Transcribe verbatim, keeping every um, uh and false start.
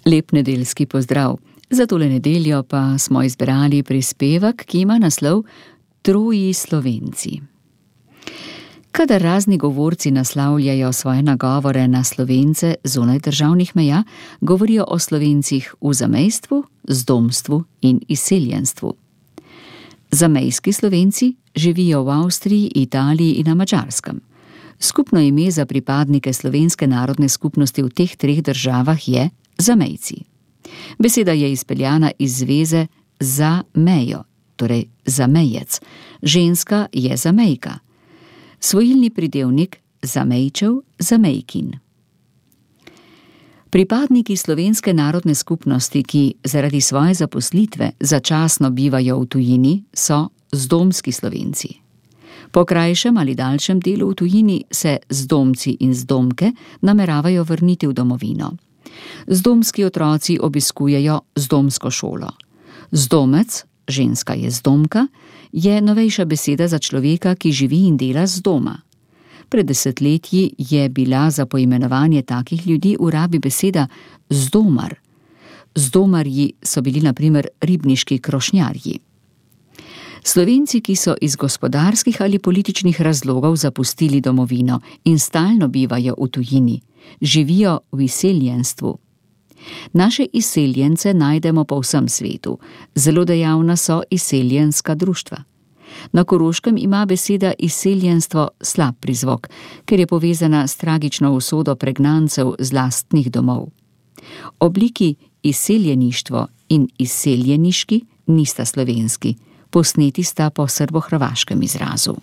Lep nedeljski pozdrav. Za tole nedeljo pa smo izbrali prispevek, ki ima naslov Troji Slovenci. Kadar razni govorci naslavljajo svoje nagovore na Slovence zunaj državnih meja, govorijo o Slovencih v zamejstvu, zdomstvu in izseljenstvu. Zamejski Slovenci živijo v Avstriji, Italiji in na Madžarskem. Skupno ime za pripadnike slovenske narodne skupnosti v teh treh državah je zamejci. Beseda je izpeljana iz zveze za mejo, torej zamejec. Ženska je zamejka. Svojilni pridevnik zamejčev, zamejkin. Pripadniki slovenske narodne skupnosti, ki zaradi svoje zaposlitve začasno bivajo v tujini, so zdomski Slovenci. Po krajšem ali daljšem delu v tujini se zdomci in zdomke nameravajo vrniti v domovino. Zdomski otroci obiskujejo zdomsko šolo. Zdomec, ženska je zdomka, je novejša beseda za človeka, ki živi in dela z doma. Pred desetletji je bila za poimenovanje takih ljudi v rabi beseda zdomar. Zdomarji so bili na primer ribniški krošnjarji. Slovenci, ki so iz gospodarskih ali političnih razlogov zapustili domovino in stalno bivajo v tujini, živijo v izseljenstvu. Naše izseljence najdemo po vsem svetu. Zelo dejavna so izseljenska društva. Na Koroškem ima beseda izseljenstvo slab prizvok, ker je povezana s tragično usodo pregnancev z lastnih domov. Obliki izseljeništvo in izseljeniški nista slovenski, posneti sta po srbohrvaškem izrazu.